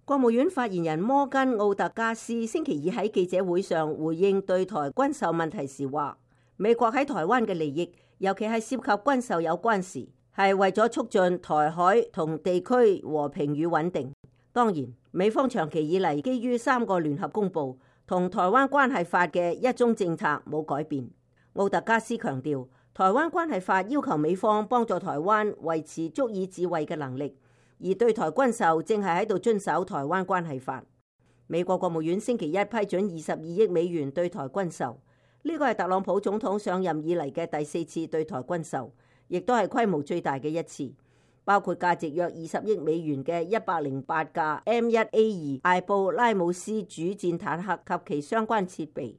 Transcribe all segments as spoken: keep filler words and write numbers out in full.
國務院發言人摩根奧特加斯星期二喺記者會上回應對台軍售問題時話，美國喺台灣嘅利益，尤其係涉及軍售有關時，係為咗促進台海同地區和平與穩定。當然，美方長期以嚟基於三個聯合公報同台灣關係法嘅一中政策冇改變。奧特加斯強調，台灣關係法要求美方幫助台灣維持足以自衛嘅能力，而對台軍售正係喺度遵守台灣關係法。美國國務院星期一批准二十二億美元對台軍售，呢個係特朗普總統上任以嚟嘅第四次對台軍售，亦都係規模最大嘅一次，包括價值約二十億美元嘅一百零八架 M 一 A 二艾布拉姆斯主戰坦克及其相關設備，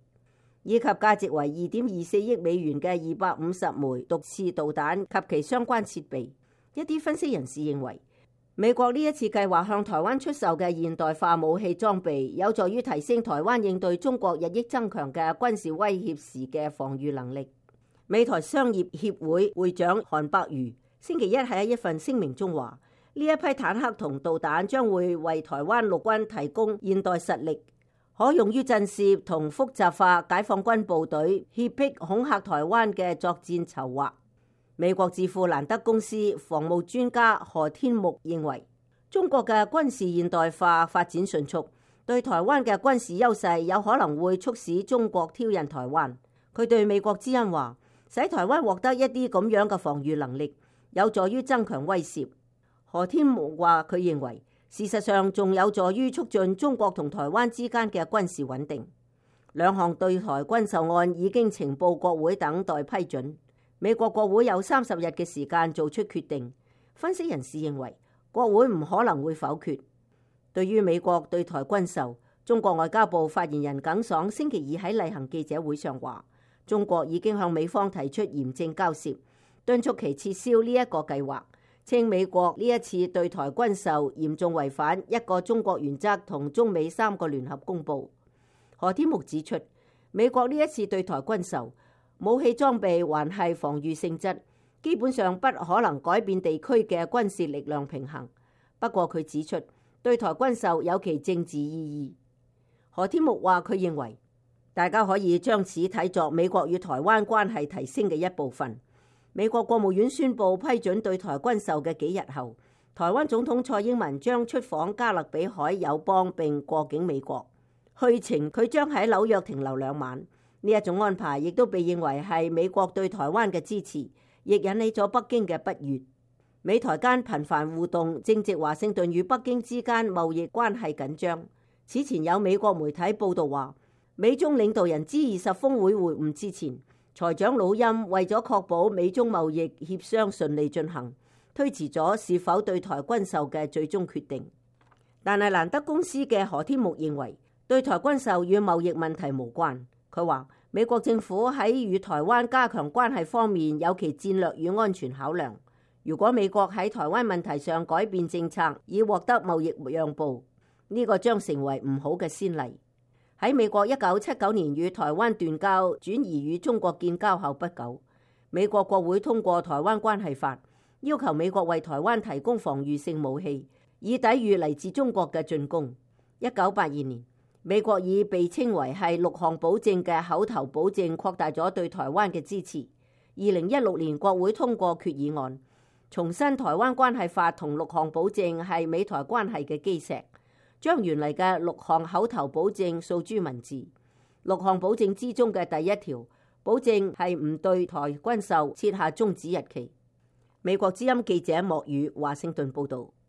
以及價值為二點二四億美元嘅二百五十枚毒刺導彈及其相關設備。一啲分析人士認為，美國呢一次計劃向台灣出售嘅現代化武器裝備，有助於提升台灣應對中國日益增強嘅軍事威脅時嘅防禦能力。美台商業協會會長韓伯瑜星期一喺一份聲明中話，呢一批坦克同導彈將會為台灣陸軍提供現代實力，可用於震懾同複雜化解放軍部隊脅迫恐嚇台灣嘅作戰籌劃。美國智庫蘭德公司防務專家何天木認為，中國嘅軍事現代化發展迅速，對台灣嘅軍事優勢有可能會促使中國挑釁台灣。佢對美國之音話，使台灣獲得一啲咁樣嘅防禦能力，有助於增強威懾。何天木話，佢認為事實上仲有助於促進中國同台灣之間嘅軍事穩定。兩項對台軍售案已經呈報國會等待批准。美國國會有三十日嘅時間做出決定。分析人士認為，國會唔可能會否決。對於美國對台軍售，中國外交部發言人耿爽星期二喺例行記者會上話，中國已經向美方提出嚴正交涉，敦促其撤銷呢一個計劃，稱美國呢一次對台軍售嚴重違反一個中國原則同中美三個聯合公報。何天木指出，美國呢一次對台軍售武器裝備還係防禦性質，基本上不可能改變地區嘅軍事力量平衡。不過佢指出，對台軍售有其政治意義。何天木話，佢認為大家可以將此睇作美國與台灣關係提升嘅一部分。美國國務院宣布批准對台軍售嘅幾日後，台灣總統蔡英文將出訪加勒比海友邦並過境美國。去程佢將喺紐約停留兩晚。呢一種安排亦都被認為係美國對台灣嘅支持，亦引起咗北京嘅不悅。美台間頻繁互動，正值華盛頓與北京之間貿易關係緊張。此前有美國媒體報道話，美中領導人 G 二十峰會會晤之前，財長魯欽為咗確保美中貿易協商順利進行，推遲咗是否對台軍售嘅最終決定。但係蘭德公司嘅何天木認為，對台軍售與貿易問題無關。佢話，美國政府喺與台灣加強關係方面有其戰略與安全考量。如果美國喺台灣問題上改變政策以獲得貿易讓步，呢個將成為唔好嘅先例。喺美國一九七九年與台灣斷交，轉移與中國建交後不久，美國國會通過台灣關係法，要求美國為台灣提供防禦性武器，以抵禦嚟自中國嘅進攻。一九八二年，美國以被稱為係六項保證嘅口頭保證擴大咗對台灣嘅支持。二零一六年國會通過決議案，重申台灣關係法同六項保證係美台關係嘅基石，將原嚟嘅六項口頭保證訴諸文字。六項保證之中嘅第一條保證係唔對台軍售設下終止日期。美國之音記者莫宇華盛頓報道。